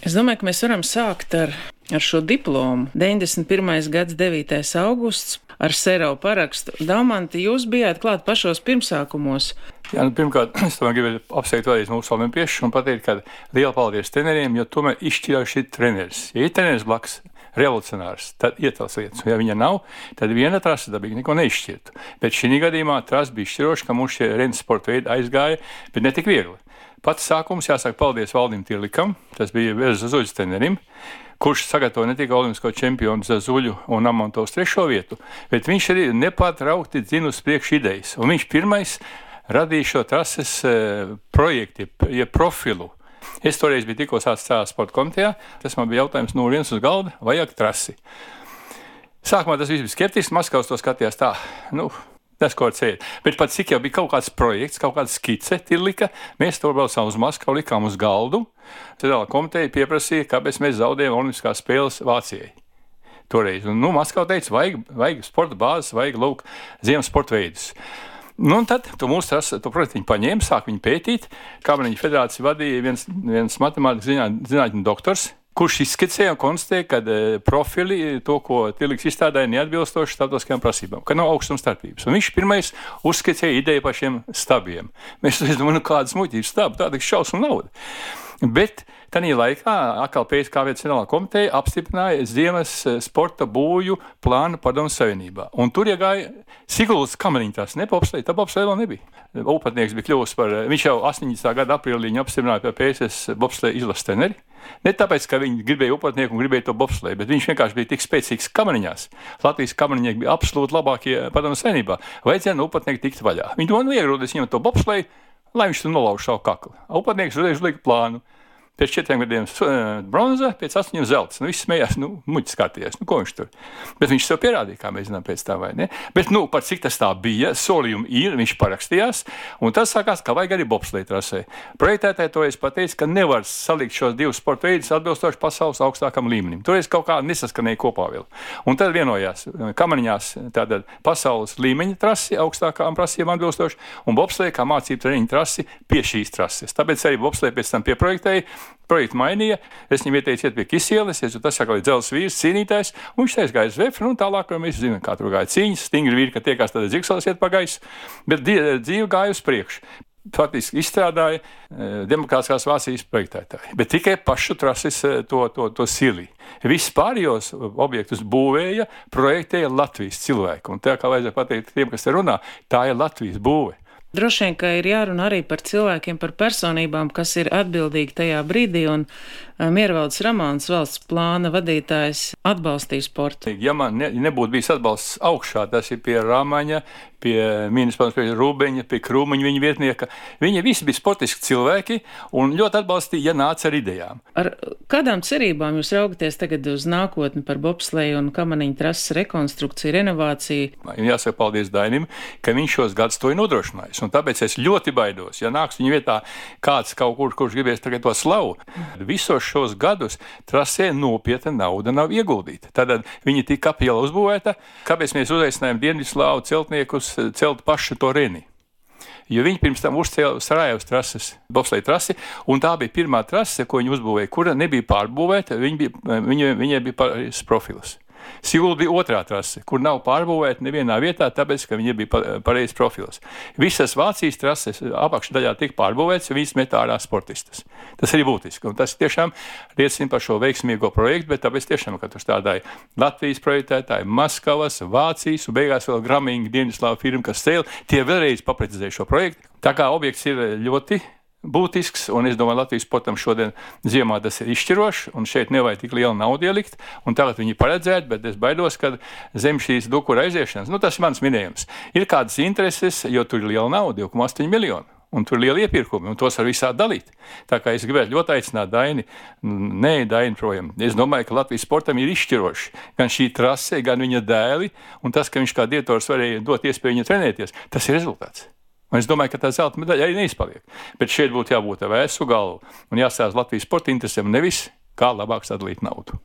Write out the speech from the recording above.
Es domāju, ka mēs varam sākt ar šo diplomu. 91. gads, 9. augusts, ar Serau parakstu. Daumanti, jūs bijāt klāt pašos pirmsākumos. Jā, pirmkārt, es gribēju apsveikt vēlreiz mūsu olimpiešus un pateikt, ka liela paldies treneriem, jo tomēr izšķiroši ir treneris. Ja ir treneris blakus, revolucionārs, tad iet tās lietas. Ja viņa nav, tad viena trasa dabīgi neko neizšķirtu. Bet šī gadījumā trasa bija izšķiroša, ka mums šie rennes sporta veidi aizgāja, bet ne tik viegli. Pats sākums jāsaka paldies Valdim Tirlikam, tas bija Zazuļas trenerim, kurš sagatavoja ne tikai olimpisko čempionu Zazuļu un Amontovs 3. vietu, bet viņš arī nepārtraukti dzina uz priekšu idejas. Un viņš pirmais radīja šo trases projektu, profilu. Es toreiz biju tikko sācis sporta komitejā, tas man bija jautājums no vienas uz galda, vajag trasi. Sākumā tas viss bija skeptiski, Maskavs to skatījās tā, tas, ko ceļ. Bet pat cik jau bija kaut kāds projekts, kaut kāda skice, Tirlika, mēs to braucām uz Maskavu, likām uz galdu. Federālā komiteja pieprasīja, kāpēc mēs zaudējām olimpiskās spēles Vācijai. Toreiz. Un, Maskava teica, vajag sporta bāzes, vajag ziemas sporta veidus. Un tad mūsu to projektu viņi paņēma, sāk viņu pētīt. Kameņu federāciju vadīja viens matemātikas zinātņu doktors, kurš izskicēja un konstatēja, ka profili, to, ko Tirliks izstrādāja, neatbilstoši starptautiskajām prasībām, ka nav augstuma starpības. Un viņš pirmais uzskicēja ideju par šiem stabiem. Mēs domājam, kādas muļķības stabi, tāda šausmu nauda. Bet tajā laikā atkal pēc kā viens Federālā komiteja apstiprināja ziemas sporta būju plānu Padomju Savienībā. Un tur iegāja Siguldas Kameriņtās, ne bobsleja, tā bobsleja vēl nebija. Upatnieks bija kļuvis par, viņš jau 80. gada aprīlī viņu apstiprināja par PSS bobsleja izlases treneri. Ne tāpēc, ka viņi gribēja upatnieku un gribēja to bobsleju, bet viņš vienkārši bija tik spēcīgs kameriņās. Latvijas kameriņieki bija absolūti labākie Padomju Savienībā. Vajadzēja no upatnieku tikt vaļā. Viņi domāja, iegrūdīs viņam to bobsleju, lai viņš tur nolauž savu kaklu. Upatnieks uzreiz uzlika plānu. Pēc 4 gadiem bronza, pēc 8 zelts. Viss smējās, muļķis skatījās, ko viņš tur. Bet viņš sev pierādīja, kā mēs zinām pēc tā, vai ne? Bet, par cik tas tā bija, solījumi ir, viņš parakstījās, un tas sākās, ka vajag arī bobsleja trasē. Projektētāji toreiz pateica, ka nevar salikt šos divus sporta veidus atbilstoši pasaules augstākam līmenim. Toreiz kaut kā nesaskanēja kopā vēl. Un tad vienojās Kameriņās tātad pasaules līmeņa trasi augstākām prasībām atbilstoši, un bobsleja kā mācību treniņu trasi pie šīs trases. Tāpēc arī bobsleja pēc tam pieprojektēja. Projektu mainīja, es viņam ieteicu iet pie Kisieles, jo tas saka, dzelzs vīrs, cīnītājs, un viņš teica, gāja uz Vefru, un tālāk, mēs zinām, kā tur gāja cīņas, stingri vīri, ka tiekās tādā zigsalas iet pa gaisu, bet dzīve gāja uz priekšu. Faktiski izstrādāja demokrātiskās Vācijas projektētāji, bet tikai pašu trases to sili. Vispārējos objektus būvēja, projektēja Latvijas cilvēku, un tā kā vajadzēja pateikt tiem, kas te runā, tā ir Latvijas būve. Droši vien, ka ir jārunā arī par cilvēkiem, par personībām, kas ir atbildīgi tajā brīdī, un Miervaldes Ramāns, valsts plāna vadītājs, atbalstīja sportu. Ja man nebūtu bijis atbalsts augšā, tas ir pie Rāmaņa, pie ministrs, pie Rūbeņa, pie Krūmiņa, viņa vietnieka. Viņi visi bija sportiski cilvēki un ļoti atbalstīja, ja nāca ar idejām. Ar kādām cerībām jūs raugaties tagad uz nākotni par bobsleju un kamaniņu trases rekonstrukciju, renovāciju? Jāsaka paldies Dainim, ka viņš šos gadus to ir nodrošinājis. Un tāpēc es ļoti baidos, ja nāks viņa vietā kāds kaut kurš gribēs tagad to slavu. Visos šos gadus trasē nopietna nauda nav ieguldīta. Tad viņi tika apiela uzbūvēta, kāpēc mēs uzaicinājām Dienvidslāvu celtniekus celt pašu to reni. Jo viņi pirms tam uzcēla Sarajevas trases, bobsleja trasi, un tā bija pirmā trase, ko viņi uzbūvēja, kura nebija pārbūvēta, viņai bija pareizs profils. Sigulda bija otrā trase, kur nav pārbūvēta nevienā vietā, tāpēc, ka viņa bija pareizs profils. Visas Vācijas trases apakšdaļā tika pārbūvētas, jo viņas met ārā sportistus. Tas arī būtiski, un tas tiešām liecina par šo veiksmīgo projektu, bet tāpēc tiešām, ka tur strādāja Latvijas projektētāji, Maskavas, Vācijas un beigās vēl Gramīnga Dienvidslāvu firma, kas cēla, tie vēlreiz paprecizēja šo projektu. Tā kā objekts ir ļoti būtisks, un es domāju, Latvijas sportam šodien ziemā tas ir izšķirošs, un šeit nevajag tik lielu naudu ielikt, un tagad viņi paredzēt, bet es baidos, ka zem šīs dukura aiziešanas, tas ir mans minējums, ir kādas intereses, jo tur ir liela nauda, 2,8 miljoni, un tur ir liela iepirkumi, un tos var visādi dalīt. Tā kā es gribētu ļoti aicināt Daini, Daini projām. Es domāju, ka Latvijas sportam ir izšķiroši gan šī trase, gan viņa dēli, un tas, ka viņš kā direktors varēja dot iespēju viņu trenēties, tas ir rezultāts. Un es domāju, ka tā zelta medaļa arī neizpaliek. Bet šeit būtu jābūt ar vēsu galvu un jāstāsta Latvijas sporta interesēm, nevis kā labāk sadalīt naudu.